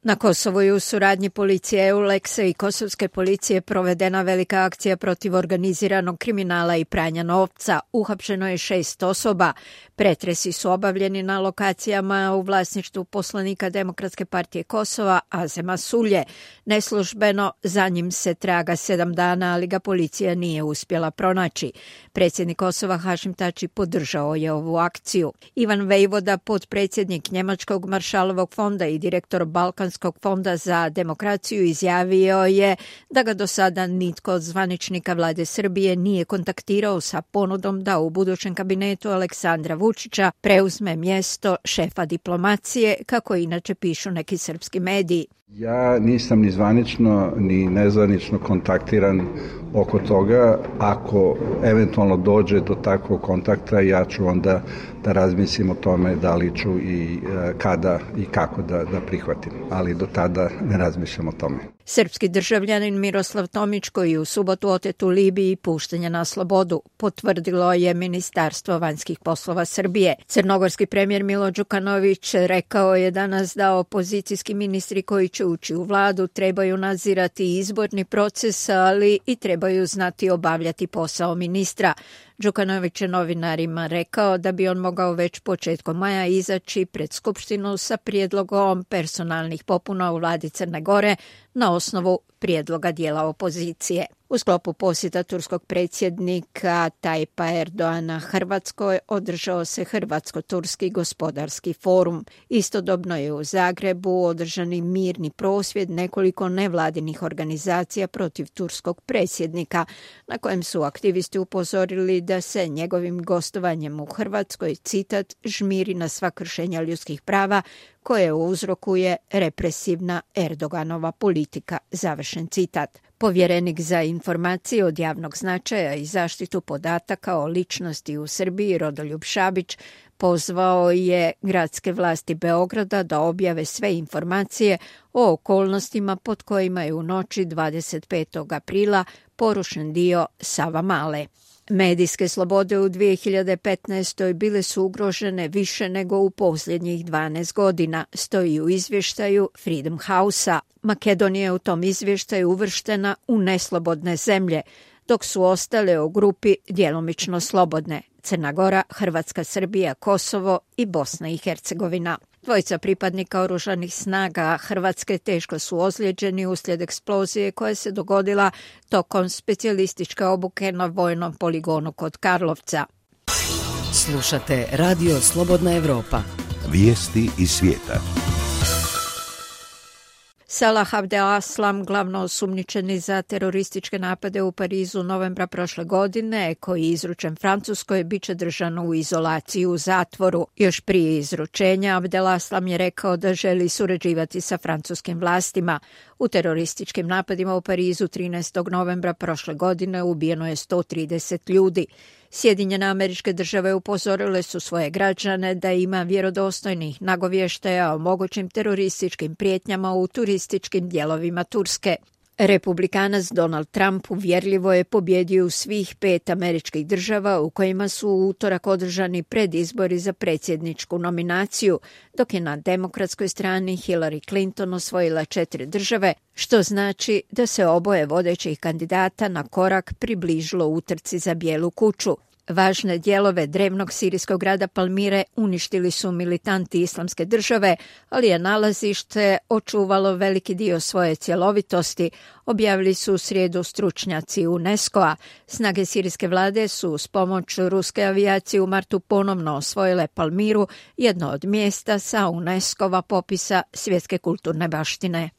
Na Kosovu je u suradnji policije EULEX-a i kosovske policije provedena velika akcija protiv organiziranog kriminala i pranja novca. Uhapšeno je 6 osoba. Pretresi su obavljeni na lokacijama u vlasništvu poslanika Demokratske partije Kosova, Azema Sulje. Neslužbeno za njim se traga 7 dana, ali ga policija nije uspjela pronaći. Predsjednik Kosova Hašim Tači podržao je ovu akciju. Ivan Vejvoda, potpredsjednik Njemačkog Maršalovog fonda i direktor Balkanskog fonda za demokraciju, izjavio je da ga do sada nitko od zvaničnika vlade Srbije nije kontaktirao sa ponudom da u budućem kabinetu Aleksandra Vučića preuzme mjesto šefa diplomacije, kako inače pišu neki srpski mediji. Ja nisam ni zvanično ni nezvanično kontaktiran oko toga. Ako eventualno dođe do takvog kontakta, ja ću onda da razmislim o tome da li ću i kada i kako da prihvatim. Ali do tada ne razmišljam o tome. Srpski državljanin Miroslav Tomić, koji je u subotu otet u Libiji, pušten je na slobodu, potvrdilo je Ministarstvo vanjskih poslova Srbije. Crnogorski premijer Milo Đukanović rekao je danas da opozicijski ministri koji će ući u vladu trebaju nadzirati izborni proces, ali i trebaju znati obavljati posao ministra. Đukanović je novinarima rekao da bi on mogao već početkom maja izaći pred Skupštinu sa prijedlogom personalnih popuna u vladi Crne Gore na osnovu prijedloga dijela opozicije. U sklopu posjeta turskog predsjednika Tajpa Erdoana Hrvatskoj održao se Hrvatsko-turski gospodarski forum. Istodobno je u Zagrebu održani mirni prosvjed nekoliko nevladinih organizacija protiv turskog predsjednika, na kojem su aktivisti upozorili da se njegovim gostovanjem u Hrvatskoj, citat, žmiri na sva kršenja ljudskih prava koje uzrokuje represivna Erdoganova politika, završen citat. Povjerenik za informacije od javnog značaja i zaštitu podataka o ličnosti u Srbiji, Rodoljub Šabić, pozvao je gradske vlasti Beograda da objave sve informacije o okolnostima pod kojima je u noći 25. aprila porušen dio Savamale. Medijske slobode u 2015. bile su ugrožene više nego u posljednjih 12 godina, stoji u izvještaju Freedom House-a. Makedonija je u tom izvještaju uvrštena u neslobodne zemlje, dok su ostale u grupi djelomično slobodne: Crna Gora, Hrvatska, Srbija, Kosovo i Bosna i Hercegovina. Dvojica pripadnika oružanih snaga Hrvatske teško su ozlijeđeni uslijed eksplozije koja se dogodila tokom specijalističke obuke na vojnom poligonu kod Karlovca. Slušate Radio Slobodna Evropa. Vijesti iz svijeta. Salah Abdeslam, glavno osumnjičeni za terorističke napade u Parizu novembra prošle godine, koji je izručen Francuskoj, bit će držan u izolaciji u zatvoru. Još prije izručenja Abdeslam je rekao da želi surađivati sa francuskim vlastima. U terorističkim napadima u Parizu 13. novembra prošle godine ubijeno je 130 ljudi. Sjedinjene Američke Države upozorile su svoje građane da ima vjerodostojnih nagovještaja o mogućim terorističkim prijetnjama u turističkim dijelovima Turske. Republikanac Donald Trump uvjerljivo je pobjedio u svih 5 američkih država u kojima su u utorak održani predizbori za predsjedničku nominaciju, dok je na demokratskoj strani Hillary Clinton osvojila 4 države, što znači da se oboje vodećih kandidata na korak približilo utrci za Bijelu kuću. Važne dijelove drevnog sirijskog grada Palmire uništili su militanti Islamske države, ali je nalazište očuvalo veliki dio svoje cjelovitosti, objavili su u srijedu stručnjaci UNESCO-a. Snage sirijske vlade su s pomoć ruske avijacije u martu ponovno osvojile Palmiru, jedno od mjesta sa UNESCO-va popisa svjetske kulturne baštine.